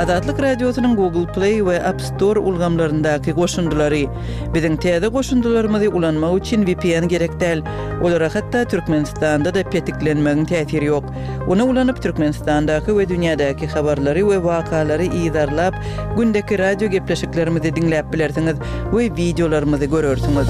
Azatlyk Radiosynyň Google Play we App Store ulgamlaryndaky goşundylary. Biziň täze goşundylarymyzy ulanmak üçin vpn gerek däl. Olara hatda Türkmenistanda-da petiklenmegiň täsiri ýok. Ony ulanyp Türkmenistandaky we dünýädäki habarlary we wakalary yzarlap, gündeki radio gepleşiklerimizi diňläp bilersiňiz we wideolarymyzy görersiňiz.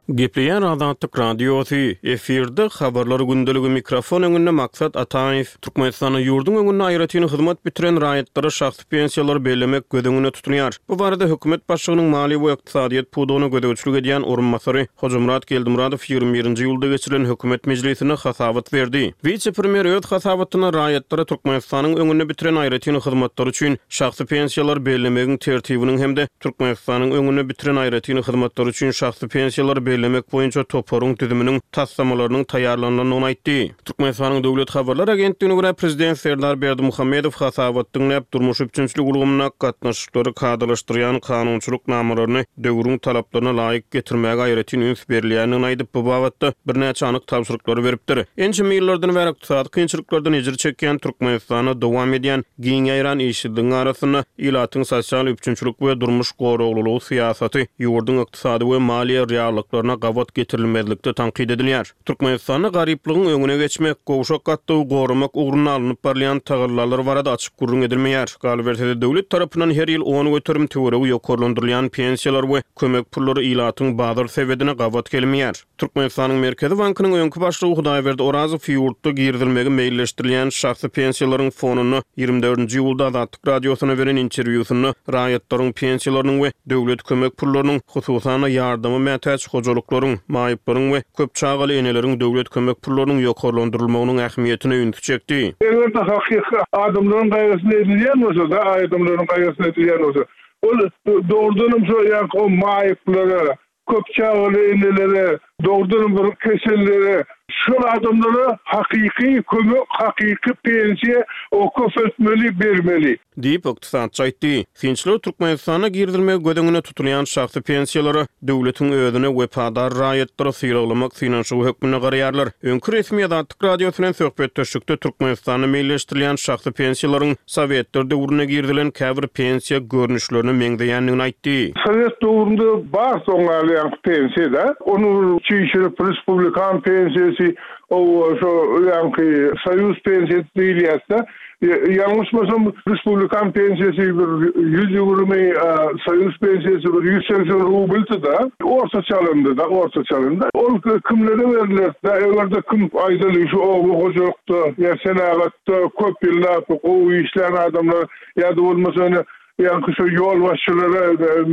Gepleýär Azatlyk Radiosy, efirde Habarlar gündeligi mikrofon öňünde Maksat Ataýew. Türkmenistanda ýurduň öňünde aýratyn hyzmat bitiren raýatlara şahsy pensiýalary bellemek göz öňünde tutulýar. Bu barada hökümet başlygynyň maliýe we ykdysadyýet pudagyna gözegçilik edýän orunbasary Hojamyrat Geldimyradow 21-nji iýulda geçirilen hökümet mejlisinde hasabat berdi. Wise-premýer öz hasabatynda raýatlara Türkmenistanyň öňünde bitiren aýratyn hyzmatlary üçin şahsy pensiýalary bellemegiň tertibiniň hem-de Türkmenistanyň öňünde bitiren aýratyn hyzmatlary üçin şahsy pensiýalary bellemek boýunça toparyň düzüminiň taslamalarynyň taýýarlanylandygyny aýtdy. Türkmenistanyň Döwlet habarlar agentligine görä, prezident Serdar Berdimuhamedow hasabat diňläp, durmuş üpjünçilik ulgamynda gatnaşyklary kadalaşdyrýan kanunçylyk namalaryny döwrüň talaplaryna laýyk getirmäge aýratyn üns berilýändigini aýdyp, bu babatda birnäçe anyk tabşyryklary beripdir. Ençeme ýyllardan bäri ykdysady kynçylyklardan ejir çekýän Türkmenistanda dowam edýän giň ýaýran işsizligiň arasynda ilatyň sosial üpjünçilik we durmuş goraglylygy syýasaty ýurduň ykdysady we maliýe reallyklaryna gabat getirilmezlikde tankyt edilýär. Türkmenistanda garyplygyň öňüne geçmek, gowşak gatlagy goramak ugrunda alnyp barylýan tagallalar barada açyk gürrüň edilmeýär. Galyberse-de, döwlet tarapyndan her ýyl 10% töweregi ýokarlandyrylýan pensiýalar we kömek pullary ilatyň bazar sebedine gabat gelmeýär. Türkmenistanyň Merkezi bankynyň öňki başlygy Hudaýberdi Orazow ýurtda girizilmegi meýilleşdirilýän şahsy pensiýalaryň fonunda 24-nji iýulda Azatlyk Radiosyna beren interwýusynda raýatlaryň pensiýalarynyň we döwlet kömek pullarynyň, hususan-da, ýardama mätäç hojalyklaryň, maýyplaryň we köp çagaly eneleriň döwlet kömek pullarynyň ýokarlandyrylmagynyň ähmiýetine ünsi çekdi. Eger-de hakyky adamlaryň gaýgysyna edilýän bolsa-da, adamlaryň gaýgysyna edilýän bolsa, ol dogrudanam şo ýaňky o maýyplara, köp çagaly enelere, dogrudanam bir kesellere, şol adamlara hakyky kömek, hakyky pensiýa o köpeltmeli, bermeli. Diýip, ykdysatçy aýtdy. Synçylar Türkmenistanda girizilmegi göz öňünde tutulýan şahsy pensiýalara döwletiň özüne wepadar raýatlary sylaglamak synanyşygy hökmünde garaýarlar. Öňki resmi Azatlyk Radiosy bilen söhbetdeşlikde Türkmenistanda meýilleşdirilýän şahsy pensiýalaryň Sowetler döwründe girizilen käbir pensiýa görnüşlerine meňzeýändigini aýtdy. Sowet döwründe bar soň galýan pensiýa-da. Ony bir çişirip respublikan pensiýasy, owa şo ýaňky soýuz pensiýasy diýilýärdi-de. Ýalňyşmasam respublikan pensiýasy bir 120, soýuz pensiýasy bir 180 rubldy-da. Ortaça alanda-da, ortaça alanda. Ol kimlere berilerdi-de, eger-de kim aýdaly şu oba hojalykda ýa senagat Da köp ýyllap gowy işlän adamlar ýa-da bolmasa ine ýaňky şo ýolbaşçylara,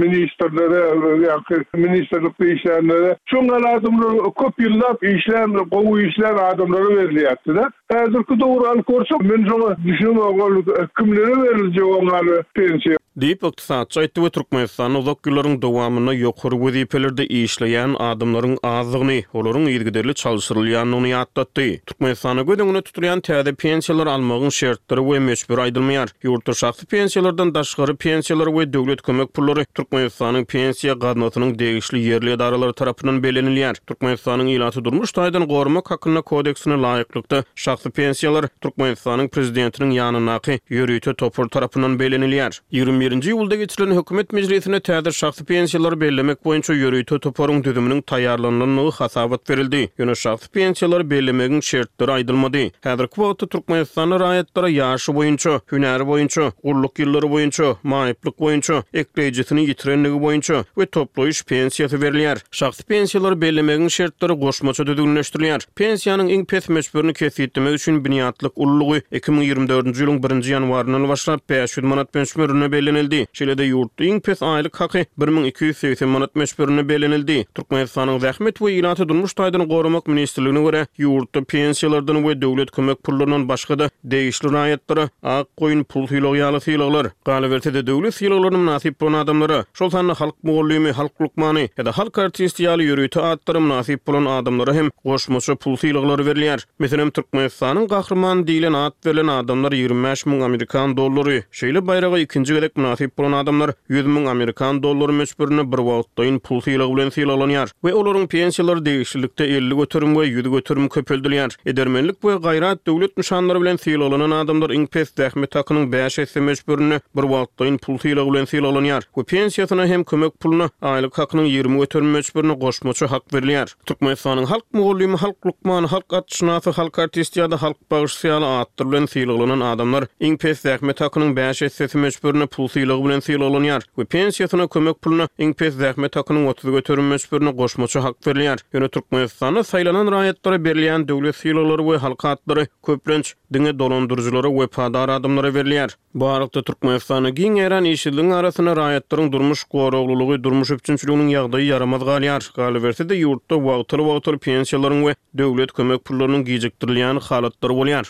ministrlere, ýaňky ministrlikde işlänlere, şoň ýaly adamlar köp ýyllap işlän, gowy işlän adamlara berilýärdi-de. Häzirki döwri alyp görsek, men şoňa düşünemok, ol kimlere beriljek oň ýaly pensiýa? Diýip, ykdysatçy aýtdy we Türkmenistanda uzak ýyllaryň dowamynda ýokary wezipelerde işleýän adamlaryň azdygyny, olaryň yzygiderli çalşyrylýandygyny ýatlatdy. Türkmenistanda göz öňünde tutulýan täze pensiýalary almagyň şertleri we möçberi aýdylmaýar. Ýurtda şahsy pensiýalardan daşgary pensiýalar we döwlet kömek pullary Türkmenistanyň Pensiýa gaznasynyň degişli ýerli edaralary tarapyndan bellenilýär. Türkmenistanyň Ilaty durmuş taýdan goramak hakynda kodeksine laýyklykda, şahsy pensiýalar Türkmenistanyň Prezidentiniň ýanyndaky ýörite topar tarapyndan bellenilýär. 21-nji iýulda geçirilen Hökümet mejlisinde täze şahsy pensiýalary bellemek boýunça ýörite toparyň düzüminiň taýýarlanylandygy hasabat berildi. Ýöne şahsy pensiýalary bellemegiň şertleri aýdylmady. Häzirki wagtda Türkmenistanda raýatlara ýaşy boýunça, hünäri boýunça, gulluk ýyllary boýunça, maýyplyk boýunça, ekleýjisini ýitirenligi boýunça we toplaýyş pensiýasy berilýär. Şahsy pensiýalary bellemegiň şertleri goşmaça düzgünleşdirilýär. Pensiýanyň iň pes möçberini kesgitlemek üçin binýatlyk ululygy 2024-nji ýylyň birinji ýanwaryndan başlap 500 manat möçberinde bellenildi. Şeýle-de ýurtda iň pes aýlyk haky 1280 manat möçberinde bellenildi. Türkmenistanyň Zähmet we ilaty durmuş taýdan goramak ministrligine görä, ýurtda pensiýalardan we döwlet kömek pullaryndan başga-da degişli raýatlara ak goýun pul sylagy ýaly sylaglar, galyberse-de döwlet sylaglaryna mynasyp bolan adamlara, şol sanda halk mugallymy, halk lukmany ýa-da halk artisti ýaly ýörite atlara mynasyp bolan adamlara hem goşmaça pul sylaglary berilýär. Meselem, Türkmenistanyň Gahrymany diýlen at berlen adamlar 25 müň amerikan dollary, şeýle baýraga ikinji gezek mynasyp. mynasyp bolan adamlar 100 000 amerikan dollary möçberinde birwagtlaýyn pul sylagy bilen sylaglanýar we olaryň pensiýalary degişlilikde 50% we 100% köpeldilýär. Edermenlik we gaýrat döwlet nyşanlary bilen sylaglanan adamlar iň pes zähmet hakynyň bäş esse möçberinde birwagtlaýyn pul sylagy bilen sylaglanýar we pensiýasyna hem kömek puluna aýlyk hakynyň 20% möçberinde goşmaça hak berilýär. Türkmenistanyň Halk mugallymy, Halk lukmany, Halk atşynasy, Halk artisti ýa-da Halk bagşysy ýaly atlar bilen sylaglanan adamlar iň pes zähmet hakynyň bäş essesi möçberinde pul sylagy bilen sylaglanýar we pensiýasyna, kömek puluna iň pes zähmet hakynyň 30% möçberinde goşmaça hak berilýär. Ýöne Türkmenistanda saýlanan raýatlara berilýän döwlet sylaglary we halk atlary, köplenç, diňe dolandyryjylara wepadar adamlara berilýär. Bu aralykda, Türkmenistanda giň ýaýran işsizligiň arasynda raýatlaryň durmuş goraglylygy, durmuş üpjünçiliginiň ýagdaýy ýaramaz galýar. Galyberse-de, ýurtda wagtal-wagtal pensiýalaryň we döwlet kömek pullarynyň gijikdirilýän halatlary bolýar.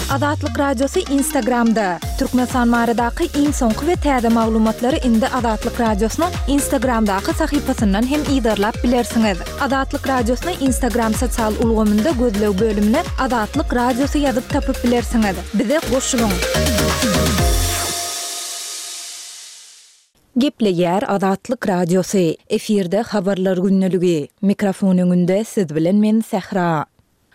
Azatlyk Radiosy Instagramda, Türkmenistan baradaky iň soňky we täze maglumatlary indi Azatlyk Radiosynyň Instagramdaky sahypasyndan hem yzarlap bilersiňiz. Azatlyk Radiosyny Instagram sosial ulgamynda gözleg bölümine Azatlyk Radiosy ýazyp tapyp bilersiňiz. Bize goşulyň! Gepleýär Azatlyk Radiosy, efirde Habarlar gündeligi. Mikrofon öňünde siz bilen men Sähra.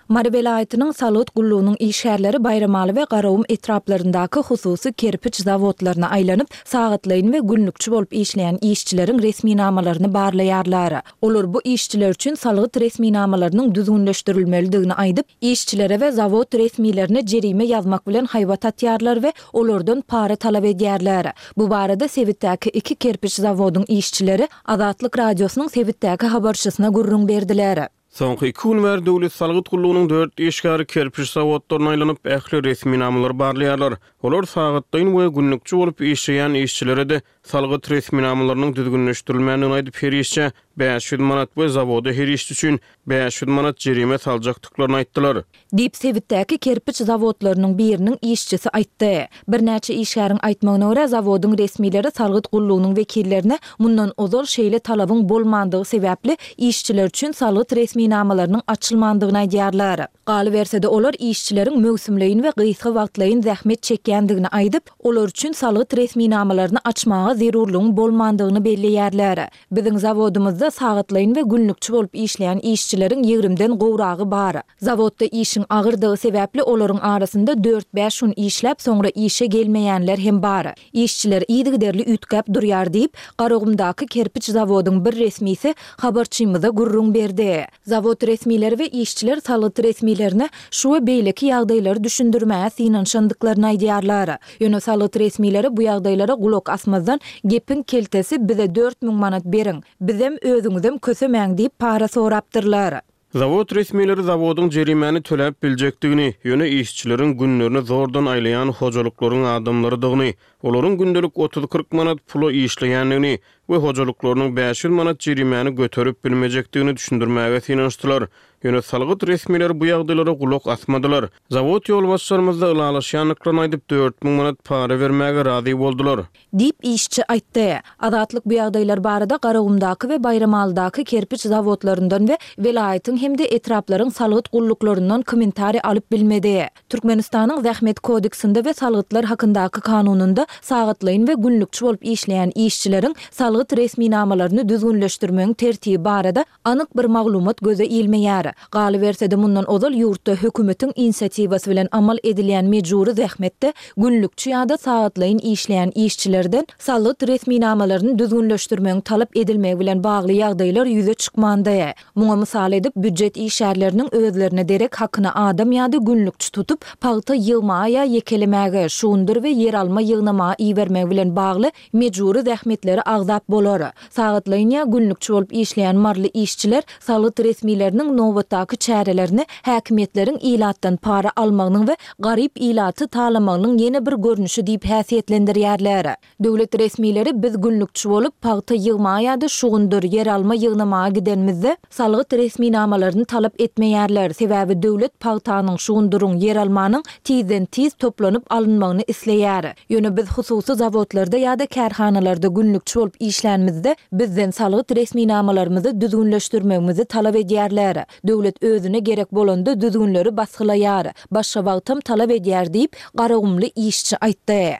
Mary welaýatynyň salgyt gullugynyň işgärleri Baýramaly we Garagum etraplaryndaky hususy kerpiç zawodlaryna aýlanyp, sagatlaýyn we günlükçi bolup işleýän işçileriň resminamalaryny barlaýarlar. Olar bu işçiler üçin salgyt resminamalarynyň düzgünleşdirilmelidigini aýdyp, işçilere we zawod resmilerine jerime ýazmak bilen haýbat atýarlar we olardan para talap edýärler. Bu barada sebitdäki iki kerpiç zawodyň işçileri Azatlyk Radiosynyň sebitdäki habarçysyna gürrüň berdiler. Soňky iki gün bäri Döwlet salgyt gullugynyň dört işgäri kerpiç zawodlaryna aýlanyp, ähli resminamalary barlaýarlar. Olar sagatlaýyn we günlükçi bolup işleýän işçilere-de salgyt resminamalarynyň düzgünleşdirilmändigini aýdyp, her işçä 500 manat we zawoda her işçi üçin 500 manat jerime saljakdyklaryny aýtdylar. Diýip, sebitdäki kerpiç zawodlarynyň biriniň işçisi aýtdy. Birnäçe işgäriň aýtmagyna görä, zawodyň resmileri salgyt gullugynyň wekillerine mundan ozal şeýle talabyň bolmandygy sebäpli işçiler üçin salgyt resminamalarynyň açylmandygyny aýdýarlar. Galyberse-de, olar işçileriň möwsümleýin we gysga wagtlaýyn zähmet çekýändigini aýdyp, olar üçin salgyt resminamalaryny açmaga zerurlygyň bolmandygyny belleýärler. Biziň zawodymyzda sagatlaýyn we günlükçi bolup işleýän işçileriň ýigrimden gowragy bar. Zawodda işiň agyrdygy sebäpli olaryň arasynda dört-bäş gün işläp, soňra işe gelmeýänler hem bar. Işçiler yzygiderli üýtgäp durýar diýip, Garagumdaky kerpiç zawodyň bir resmisi habarçymyza gürrüň berdi. Zawod resmileri we işçiler salgyt resmilerine şu we beýleki ýagdaýlary düşündirmäge synanyşandyklaryny aýdýarlar. Ýöne salgyt resmileri bu ýagdaýlara gulak asmazdan, gepiň keltesi bize 4000 manat beriň, bizem, özüňizem kösemäň diýip para sorapdyrlar. Zawod resmileri zawodyň jerimäni töläp biljekdigini, ýöne işçileriň günlerini zordan aýlaýan hojalyklaryň adamlarydygyny, olaryň gündelik otuz-kyrk manat pula işleýändigini we hojalyklarynyň 500 manat jerimäni göterip bilmejekdigini düşündirmäge synanyşdylar. Ýöne salgyt resmileri bu ýagdaýlara gulak asmadylar. Zawod ýolbaşçylarymyz-da ylalaşýandyklaryny aýdyp, 4000 manat para bermäge razy boldular. Diýip, işçi aýtdy. Azatlyk bu ýagdaýlar barada Garagumdaky we Baýramalydaky kerpiç zawodlaryndan we welaýatyň hem-de etraplaryň salgyt gulluklaryndan kommentariý alyp bilmedi. Türkmenistanyň Zähmet kodeksinde we Salgytlar hakyndaky kanunynda sagatlaýyn we günlükçi bolup işleýän işçileriň salgyt resminamalaryny düzgünleşdirmegiň tertibi barada anyk bir maglumat göze ilmeýär. Galyberse-de, mundan ozal ýurtda hökümetiň inisiatiwasy bilen amal edilýän mejbury zähmetde günlükçi ýa-da sagatlaýyn işleýän işçilerden salgyt resminamalaryny düzgünleşdirmegiň talap edilmegi bilen bagly ýagdaýlar ýüze çykmandy. Muňa mysal edip, býujet işgärleriniň özlerine derek hakyna adam ýa-da günlükçi tutup, pagta ýygmaga ýa ýekelemäge, şugundyr we ýeralma ýygnamaga ibermegi bilen bagly mejbury zähmetleri agzap bolar. Sagatlaýyn ýa günlükçi bolup işleýän maryly işçiler salgyt resmileriniň nobatdaky çärelerini häkimiýetleriň ilatdan para almagynyň we garyp ilaty talamagynyň ýene bir görnüşi diýip häsiýetlendirýärler. Döwlet resmileri biz günlükçi bolup, pagta ýygmaga ýa-da şugundyr, ýeralma ýygnamaga gidenimizde, salgyt resminamalaryny talap etmeýärler, sebäbi döwlet pagtanyň, şugundyryň, ýeralmanyň tizden-tiz toplanyp alynmagyny isleýär. Ýöne biz hususy zawodlarda ýa-da kärhanalarda günlükçi bolup işlänimizde, bizden salgyt resminamalarymyzy düzgünleşdirmegimizi talap edýärler. Döwlet özüne gerek bolanda düzgünleri basgylaýar, başga wagtam talap edýär diýip, garagumly işçi aýtdy.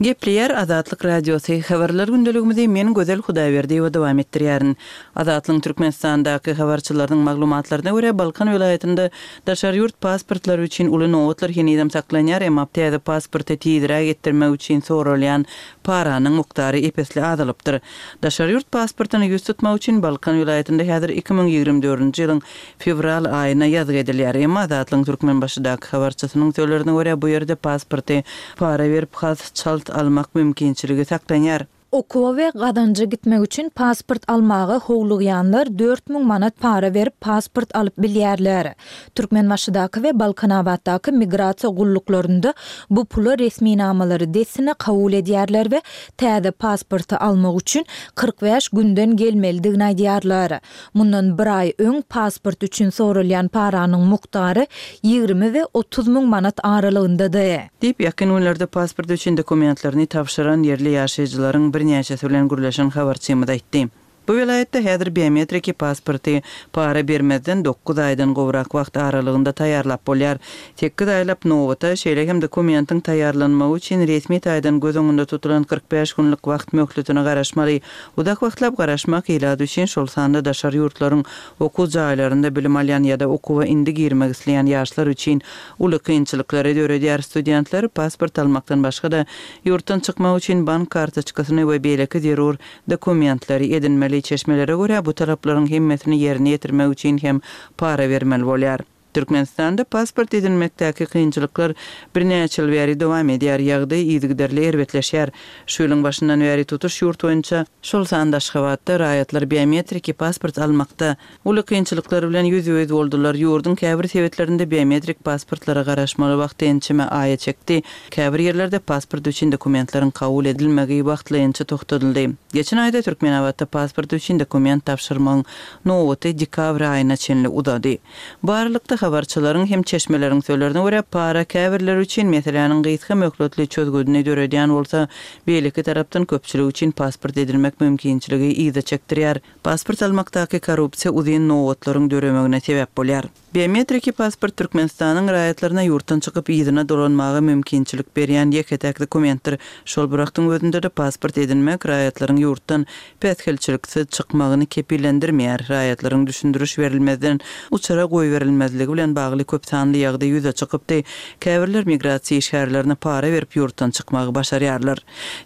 Gepleýär Azatlyk Radiosy, Habarlar gündeligimizi men Gözel Hudaýberdiýewa dowam etdirýärin. Azatlygyň Türkmenistandaky habarçylarynyň maglumatlaryna görä, Balkan welaýatynda daşary ýurt pasportlary üçin uly nobatlar henizem saklanýar, emma täze pasporty tizräk etdirmek üçin soralýan paranyň mukdary ep-esli azalypdyr. Daşary ýurt pasportyna ýüz tutmak üçin Balkan welaýatynda häzir 2024-nji ýylyň fewral aýyna ýazgy edilýär. Emma Azatlygyň Türkmenbaşydaky habarçysynyň sözlerine görä, bu ýerde pasporty para berip has çalt almak mümkinçiligi saklanýar. Okuwa we gazanja gitmek üçin pasport almaga howlugýanlar 4000 manat para berip pasport alyp bilýärler. Türkmenbaşydaky we Balkanabatdaky migrasiýa gulluklarynda bu pula resminamalary dessine kabul edýärler we täze pasporty almak üçin 45 günden gelmelidigini aýdýarlar. Mundan bir aý öň pasport üçin soralýan paranyň mukdary 20 we 30 müň manat aralygyndady. Diýip, ýakyn günlerde pasport üçin dokumentlerini tabşyran ýerli ýaşaýjylaryň birnäçesi bilen gürleşen habarçymyz aýtdy. Bu welaýatda häzir biometriki pasporty para bermezden dokuz aýdan gowrak wagt aralygynda taýýarlap bolýar. Sekiz aýlap nobata, şeýle hem dokumentiň taýýarlanmagy üçin resmi taýdan göz öňünde tutulan 45 günlük wagt möhletine garaşmaly. Uzak wagtlap garaşmak ilat üçin, şol sanda daşary ýurtlaryň okuw jaýlarynda bilim alýan ýa-da okuwa indi girmek isleýän ýaşlar üçin uly kynçylyklary döredýär. Studentler pasport almakdan başga-da, ýurtdan çykmak üçin bank kartoçkasyny we beýleki zerur Dokumentleri edinmeli. Çeşmelere görä, bu talaplaryň hemmesini ýerine ýetirmek üçin hem para bermeli bolýar. Türkmenistanda pasport edinmekdäki kynçylyklar birnäçe ýyl bäri dowam edýär, ýagdaý yzygiderli erbetleşýär. Şu ýylyň başyndan bäri tutuş ýurt boýunça, şol sanda Aşgabatda raýatlar biometriki pasport almakda Uly kynçylyklar bilen ýüzbe-ýüz boldular. Ýurduň käbir sebitlerinde biometrik pasportlara garaşmaly wagty ençeme aýa çekdi. Käbir ýerlerde pasport üçin dokumentleriň kabul edilmegi wagtlaýynça togtadyldy. Geçen aýda Türkmenabatda pasport üçin dokument tabşyrmagyň nobaty dekabr aýyna çenli uzady. Bu aralykda, habarçylaryň hem çeşmeleriň sözlerine görä, para käbirleri üçin meseläniň gysga möhletli çözgüdini döredýän bolsa, beýleki tarapdan köpçülik üçin pasport edinmek mümkinçiligi yza çekdirýär. Pasport almakdaky korrupsiýa uzyn nobatlaryň döremegine sebäp bolýar. Biometriki pasport Türkmenistanyň raýatlaryna ýurtdan çykyp yzyna dolanmaga mümkinçilik berýän ýeke-täk dokumentdir. Şol bir wagtyň özünde-de pasport edinmek raýatlaryň ýurtdan päsgelçiliksiz çykmagyny kepillendirmeýär. Raýatlaryň düşündiriş berilmezden uçara goýberilmezligi bilen bagly köp sanly ýagdaý ýüze çykypdy. Käbirler migrasiýa işgärlerine para berip ýurtdan çykmagy başarýarlar.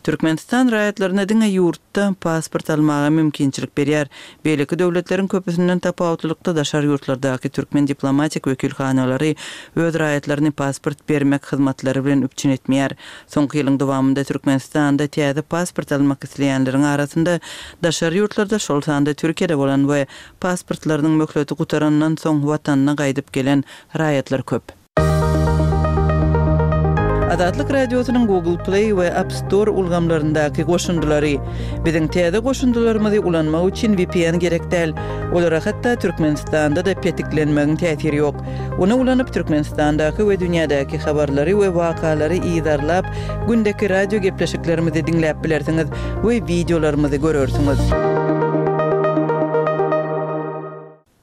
Türkmenistan raýatlaryna diňe ýurtda pasport almaga mümkinçilik berýär. Beýleki döwletleriň köpüsinden tapawutlylykda daşary ýurtlardaky türkmen diplomatik wekilhanalary öz raýatlaryny pasport bermek hyzmatlary bilen üpjün etmeýär. Soňky ýylyň dowamynda Türkmenistanda täze pasport almak isleýänleriň arasynda daşary ýurtlarda, şol sanda Türkiýede bolan we pasportlarynyň möhleti gutarandan soň watanyna gaýdyp gelen raýatlar köp. Azatlyk Radiosynyň Google Play we App Store ulgamlaryndaky goşundylary. Biziň täze goşundylarymyzy ulanmak üçin VPN gerek däl. Olara hatda Türkmenistanda-da petiklenmegiň täsiri ýok. Ony ulanyp Türkmenistandaky we dünýädäki habarlary we wakalary yzarlap, gündeki radio gepleşiklerimizi diňläp bilersiňiz we wideolarymyzy görersiňiz.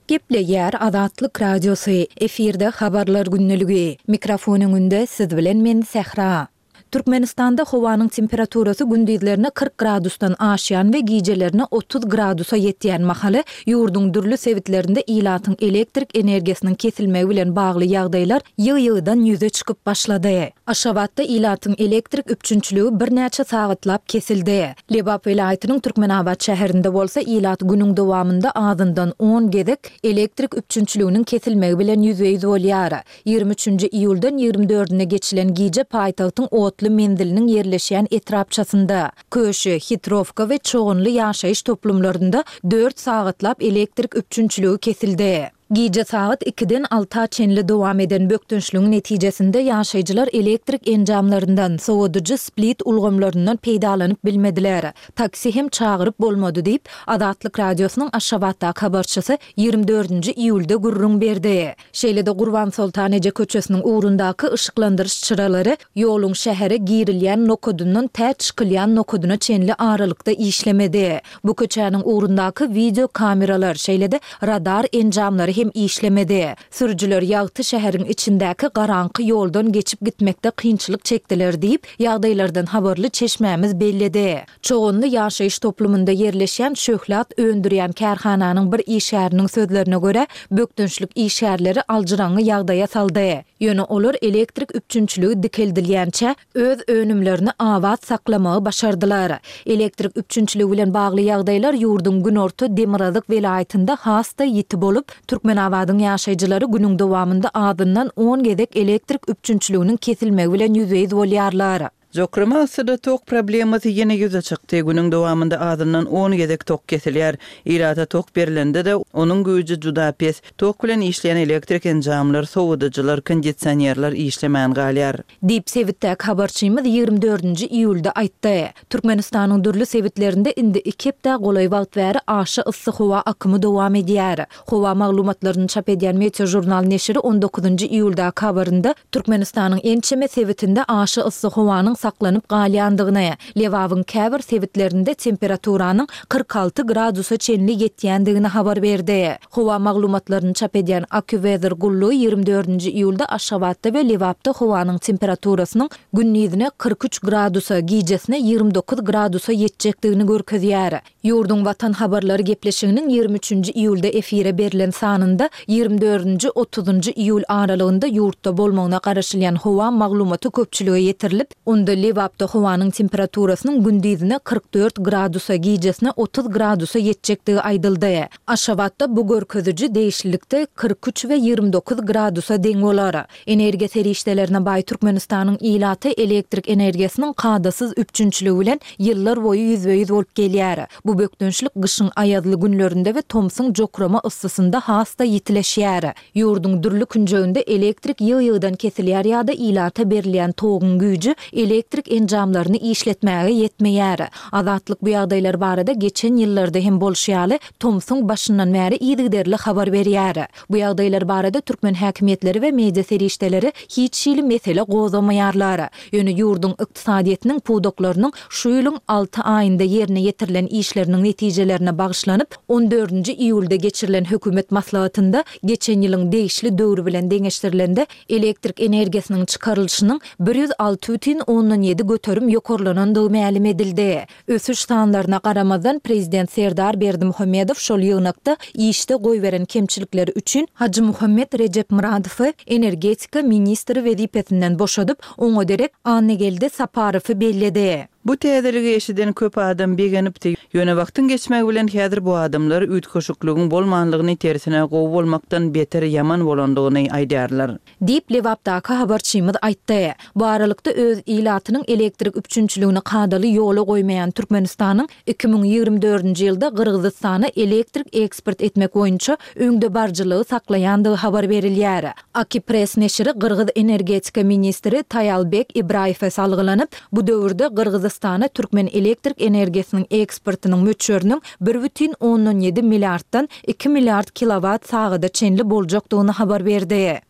Gepleýär Azatlyk Radiosy, efirde Habarlar gündeligi. Mikrofon öňünde siz bilen men Sähra. Türkmenistanda howanyň temperaturasy gündizlerine 40 gradusdan aşýan we gijelerine 30 gradusa ýetýän mahaly, ýurduň dürli sebitlerinde ilatyň elektrik energiýasynyň kesilmegi bilen bagly ýagdaýlar ýygy-ýygydan ýüze çykyp başlady. Aşgabatda ilatyň elektrik üpjünçiligi birnäçe sagatlap kesildi. Lebap welaýatynyň Türkmenabat şäherinde bolsa ilat günüň dowamynda azyndan on gezek elektrik üpjünçiliginiň kesilmegi bilen ýüzbe-ýüz bolýar. Ýigrimi üçünji iýuldan ýigrimi dördüne geçilen gije paýtagtyň otly menziliniň ýerleşýän etrapçasynda, Köşi, Hitrowka we Çoganly ýaşaýyş toplumlarynda dört sagatlap elektrik üpjünçiligi kesildi. Gije sagat ikiden alta çenli dowam eden bökdençligiň netijesinde ýaşaýjylar elektrik enjamlaryndan, sowadyjy split ulgamlaryndan peýdalanyp bilmediler. Taksi hem çagyryp bolmady diýip, Azatlyk Radiosynyň Aşgabatdaky habarçysy ýigrimi dördünji iýulda gürrüň berdi. Şeýle-de Gurbansoltan eje köçesiniň ugrundaky yşyklandyryş çyralary ýoluň şähere girilýän nokadyndan tä çykylýan nokadyna çenli aralykda işlemedi. Bu köçäniň ugrundaky wideo kameralar, şeýle-de radar enjamlary hem. hem işlemedi. Sürüjiler ýagty şäheriň içindäki garaňky ýoldan geçip gitmekde kynçylyk çekdiler diýip, ýagdaýlardan habarly çeşmämiz belledi. Çoganly ýaşaýyş toplumynda ýerleşýän şöhlat öndürýän kärhananyň bir işgäriniň sözlerine görä, bökdençlik işgärleri aljyraňňy ýagdaýa saldy. Ýöne olar elektrik üpjünçiligi dikeldilýänçä, öz önümlerini abat saklamagy başardylar. Elektrik üpjünçiligi bilen bagly ýagdaýlar ýurduň günorta-demirgazyk welaýatynda has-da ýiti bolup, Türkmenabadyň ýaşaýjylary günüň dowamynda azyndan on gezek elektrik üpjünçiliginiň kesilmegi bilen ýüzbe-ýüz bolýarlar. Jokrama yssyda tok problemasy ýene ýüze çykdy. Günüň dowamynda azyndan on gezek tok kesilýär. Ilata tok berlende-de, onuň güýji juda pes. Tok bilen işleýän elektrik enjamlar, sowadyjylar, kondisionerler işlemän galýar. Diýip, sebitdäki habarçymyz 24-nji iýulda aýtdy. Türkmenistanyň dürli sebitlerinde indi iki hepdä golaý wagt bäri aşa yssy howa akymy dowam edýär. Howa maglumatlaryny çap edýän Meteožurnal neşiri on dokuzynjy iýuldaky habarynda Türkmenistanyň ençeme sebitinde aşa yssy howanyň saklanyp galýandygyny, Lebabyň käbir sebitlerinde temperaturanyň 46 gradusa çenli ýetýändigini habar berdi. Howa maglumatlaryny çap edýän AccuWeather gullugy 24-nji iýulda Aşgabatda we Lebapda howanyň temperaturasynyň gündizine 43 gradusa, gijesine 29 gradusa ýetjekdigini görkezýär. Ýurduň Watan habarlary gepleşiginiň 23-nji iýulda efire berlen sanynda 24-nji, otuzynjy iýul aralygynda ýurtda bolmagyna garaşylýan howa maglumaty köpçülige ýetirilip, onda Lebapda howanyň temperaturasynyň gündizine 44 gradusa, gijesine 30 gradusa ýetjekdigi aýdyldy. Aşgabatda bu görkeziji degişlilikde 43 we 29 gradusa deň bolar. Energiýa serişdelerine baý Türkmenistanyň ilaty elektrik energiýasynyň kadasyz üpjünçiligi bilen ýyllar boýy ýüzbe-ýüz bolup gelýär. Bu bökdençlik gyşyň aýazly günlerinde we tomsuň jokrama yssysynda has-da ýitileşýär. Ýurduň dürli künjeginde elektrik ýygy-ýygydan kesilýär ýa-da ilata berilýän toguň güýji elektrik enjamlaryny işletmäge ýetmeýär. Azatlyk bu ýagdaýlar barada geçen ýyllarda hem bolşy ýaly, tomsuň başyndan bäri yzygiderli habar berýär. Bu ýagdaýlar barada türkmen häkimiýetleri we media serişdeleri hiç hili mesele gozgamaýarlar. Ýöne ýurduň ykdysadyýetiniň pudaklarynyň şu ýylyň alty aýynda ýerine ýetirilen işleriniň netijelerine bagyşlanyp, on dördünji iýulda geçirilen hökümet maslahatynda geçen ýylyň degişli döwri bilen deňeşdirilende elektrik energiýasynyň çykarylyşynyň 106 bütin ondan ýedi göterim ýokarlanandygy mälim edildi. Ösüş sanlaryna garamazdan, prezident Serdar Berdimuhamedow şol ýygnakda işde goýberen kemçilikleri üçin Hajymuhammet Rejepmyradowy energetika ministri wezipesinden boşadyp, oňa derek Annageldi Saparowy belledi. Bu täzeligi eşiden köp adam begenipdi. Ýöne wagtyň geçmegi bilen häzir bu adamlar üýtgeşikligiň bolmanlygyny tersine gowy bolmakdan beter ýaman bolandygyny aýdýarlar. Diýip, Lebapdaky habarçymyz aýtdy. Bu aralykda, öz ilatynyň elektrik üpjünçiligini kadaly ýola goýmaýan Türkmenistanyň 2024-nji ýylda Gyrgyzystana elektrik eksport etmek boýunça öňdebaryjylygy saklaýandygy habar berilýär. Akipress neşiri gyrgyz energetika ministri Taýalbek Ibraýewe salgylanyp, bu döwürde Gyrgyzystana türkmen elektrik energiýasynyň eksportynyň möçberiniň bir bütin ondan ýedi milliarddan iki milliard kilowat sagada çenli boljakdygyny habar berdi.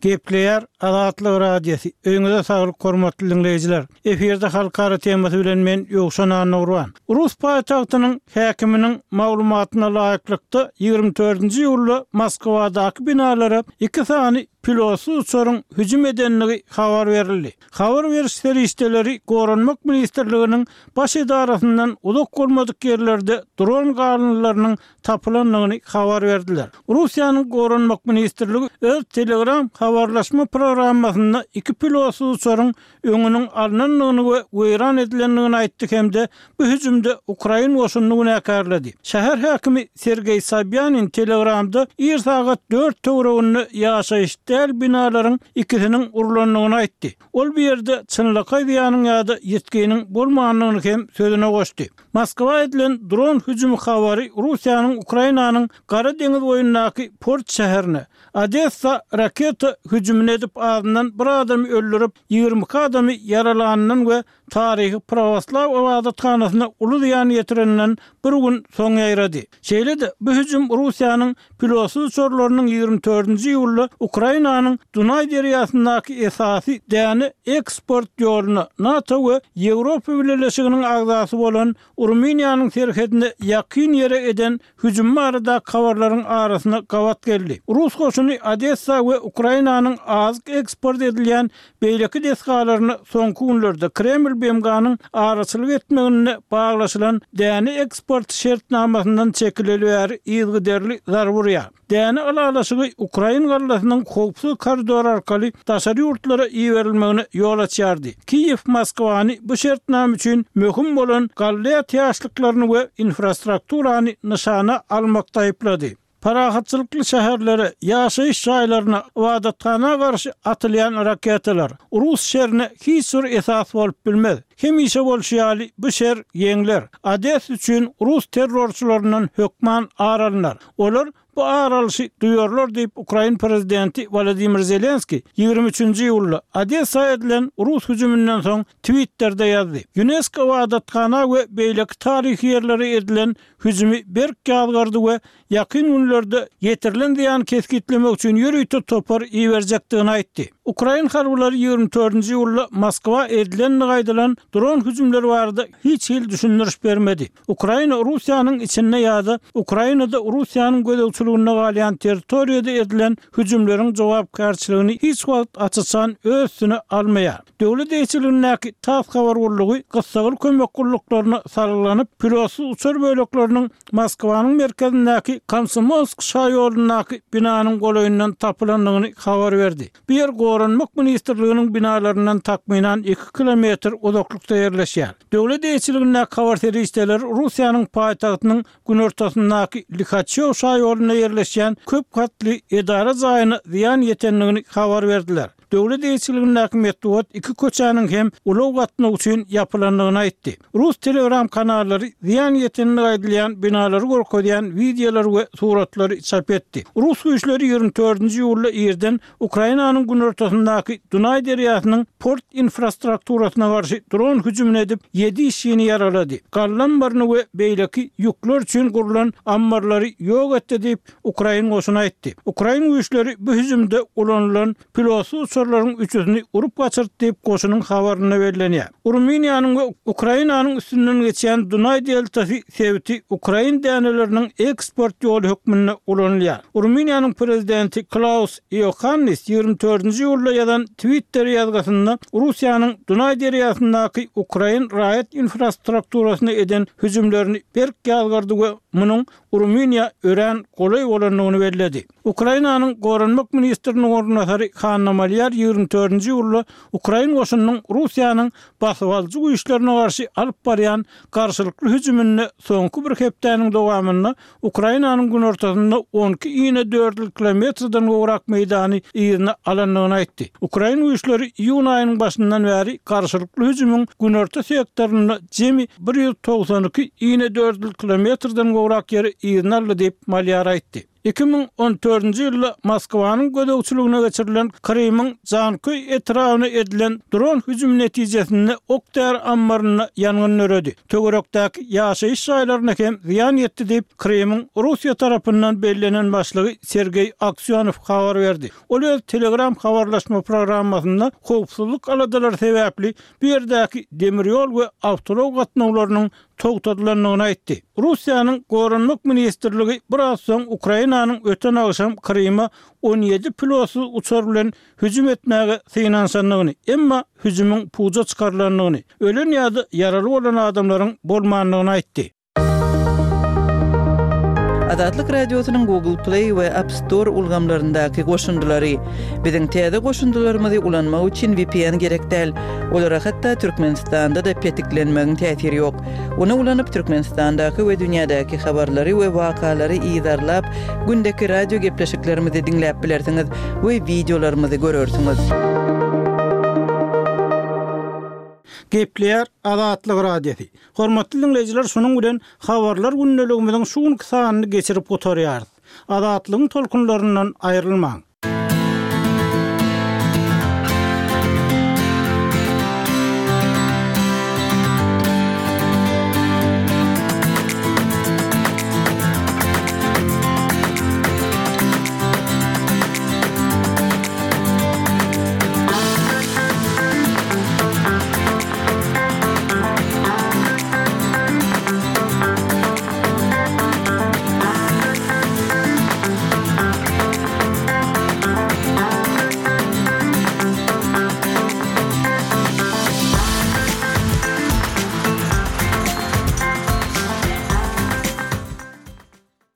Gepleýär Azatlyk Radiosy, Öýüňize saglyk hormatly diňleýjiler! Efirde halkara temasy bilen men Ýowşan Annagurban. Rus paýtagtynyň häkiminiň maglumatyna laýyklykda, 24-nji iýulda Moskwadaky binalara iki sany pilotsyz uçaryň hüjüm edendigi habar berildi. Habar beriş serişdeleri Goranmak ministrliginiň baş edarasyndan uzak bolmadyk ýerlerde dron galyndylarynyň tapylandygyny habar berdiler. Russiýanyň Goranmak ministrligi öz Telegram habarlaşma programmasynda iki pilotsyz uçaryň öňüniň alnandygyny we weýran edilendigini aýtdy hem-de bu hüjümde ukrain goşunyny günäkärledi. Şäher häkimi Sergeý Sobýanin Telegramda ir sagat dört töwereginde ýaşaýyş däl binalaryň ikisiniň urlandygyny aýtdy. Ol bu ýerde çynlakaý zyýanyň ýa-da ýitginiň bolmandygyny hem sözüne goşdy. Moskwa edilen dron hüjümi habary Russiýanyň Ukrainanyň Gara deňiz boýundaky port şäherine, Odessa raketa hüjümini edip azyndan bir adamy öldürip, 22 adamy ýaralanyndan we taryhy prawoslaw ybadathanasyna uly zyýan ýetireninden bir gün soň ýaýrady. Şeýle-de, bu hüjüm Russiýanyň pilotsyz uçarlarynyň 24-nji iýulda Ukraina. Ukrainanyň Dunaý derýasyndaky esasy däne eksport ýoluna NATO we Ýewropa Bileleşiginiň agzasy bolan Rumyniýanyň serhedine ýakyn ýere eden hüjümi baradaky habarlaryň arasyna gabat geldi. Rus goşuny Odessa we Ukrainanyň azyk eksport edilýän beýleki desgalaryna soňky günlerde Kreml BMG-niň araçylyk etmeginde baglaşylan däne eksporty şertnamasyndan çekileli bäri yzygiderli zarba urýar. Däne ylalaşygy ukrain gallasynyň howpsuz koridor arkaly daşary ýurtlara iberilmegine ýol açýardy. Kiýew Moskwany bu şertnama üçin möhüm bolan galla ätiýaçlyklaryny we infrastrukturany nyşana almakda aýyplady. Parahatçylykly şäherlere, ýaşaýyş jaýlaryna, ybadathana garşy atylýan raketalar, rus şerine hiç bir esas bolup bilmez. Hemişe bolşy ýaly, bu şer ýeňler. Odessa üçin rus terrorçylaryndan hökman ar alnar. Olar bu ar alşy duýarlar diýip, ukrain prezidenti Wolodymyr Zelenskiý 23-nji iýulda Odessa edilen rus hüjüminden soň Twitterde ýazdy. Ýunesko ybadathana we beýleki taryhy ýerlere edilen hüjümi berk ýazgardy we ýakyn günlerde ýetirilen zyýany kesgitlemek üçin ýörite topar iberjekdigini aýtdy. Ukrain harbylary 24-nji iýulda Moskwa edilendigi aýdylan dron hüjümleri barada hiç hili düşündiriş bermedi. Ukraina Russiýanyň içinde ýa-da Ukrainada Russiýanyň gözegçiliginde galýan territoriýada edilen hüjümleriň jogapkärçiligini hiç wagt aç-açan öz üstüne almaýar. Döwlet eýeçiligindäki tass habar gullugy gyssagly kömek gulluklaryna salgylanyp, pilotsyz uçar bölekleriniň Moskwanyň merkezindäki Komsomolsk şaýolundaky binanyň golaýyndan tapylandygyny habar berdi. Bu ýer Goranmak ministrliginiň binalaryndan takmynan iki kilometr uzaklykda ýerleşýär. Döwlet eýeçiligindäki habar serişdeleri Russiýanyň paýtagtynyň günortasyndaky Lihaçýow şaýolunda ýerleşýän köp gatly edara jaýyna zyýan ýetendigini habar berdiler. Döwlet eýeçiligindäki metbugat iki köçäniň hem ulag gatnawy üçin ýapylandygyny aýtdy. Rus Telegram kanallary zyýan ýetendigi aýdylýan binalary görkezýän wideolary we suratlary çap etdi. Rus güýçleri 24-nji iýulda irden Ukrainanyň günortasyndaky Dunaý derýasynyň port infrastrukturasyna garşy dron hüjümini edip, ýedi işçini ýaralady, galla ambaryny we beýleki ýükler üçin gurlan ammarlary ýok etdi diýip, ukrain goşuny aýtdy. Ukrain güýçleri bu hüjümde ulanylan pilotsyz uçarlaryň üçüsini urup gaçyrdy diýip, goşunyň habarynda bellenýär. Rumyniýanyň we Ukrainanyň üstünden geçýän Dunaý deltasy sebiti ukrain däneleriniň eksport ýoly hökmünde ulanylýar. Rumyniýanyň prezidenti Klaus Iohannis 24-nji iýulda ýazan Twitter ýazgysynda Russiýanyň Dunaý derýasyndaky ukrain raýat infrastrukturasyna eden hüjümlerini berk ýazgardy we munuň Rumyniýa örän golaý bolandygyny belledi. Ukrainanyň Goranmak ministriniň orunbasary Hanna Malýar 24-nji iýulda ukrain goşunynyň Russiýanyň basybalyjy güýçlerine garşy alyp barýan garşylykly hüjüminde soňky bir hepdäniň dowamynda Ukrainanyň günortasynda on iki inedördül kilometrden gowrak meýdany yzyna alandygyny aýtdy. Ukrain güýçleri iýun aýynyň başyndan bäri garşylykly hüjümiň günorta sektorynda jemi 192 inedördül kilometrden gowrak ýeri yzyna aldy diýip, Malýar aýtdy. 2014-nji ýylda Moskwanyň gözegçiligine geçirilen Krymyň Janköý etrabyna edilen dron hüjümi netijesinde ok-däri ammarynda ýangyn döredi. Töwerekdäki ýaşaýyş jaýlaryna hem zyýan ýetdi diýip, Krymyň Russiýa tarapyndan bellenen başlygy Sergeý Aksýonow habar berdi. Ol öz Telegram habarlaşma programmasynda howpsuzlyk aladalary sebäpli bu ýerdäki demir ýol we awtoulag gatnawlarynyň togtadylandygyny aýtdy. Russiýanyň Goranmak ministrligi biraz soň Ukrainanyň öten agşam Kryma 17 pilotsyz uçar bilen hüjüm etmäge synanyşandygyny, emma hüjümiň puja çykarylandygyny, ölen ýa-da ýaraly bolan adamlaryň bolmandygyny aýtdy. Azatlyk Radiosynyň Google Play we App Store ulgamlaryndaky goşundylary. Biziň täze goşundylarymyzy ulanmak üçin VPN gerek däl. Olara hatda Türkmenistanda-da petiklenmegiň täsiri ýok. Ony ulanyp Türkmenistandaky we dünýädäki habarlary we wakalary yzarlap, gündeki radio gepleşiklerimizi diňläp bilersiňiz we wideolarymyzy görersiňiz. Gepleýär Azatlyk Radiosy. Hormatly diňleýjiler şunuň bilen Habarlar gündeligimiziň şu günki sanyny geçirip gutarýarys. Azatlygyň tolkunlaryndan aýrylmaň.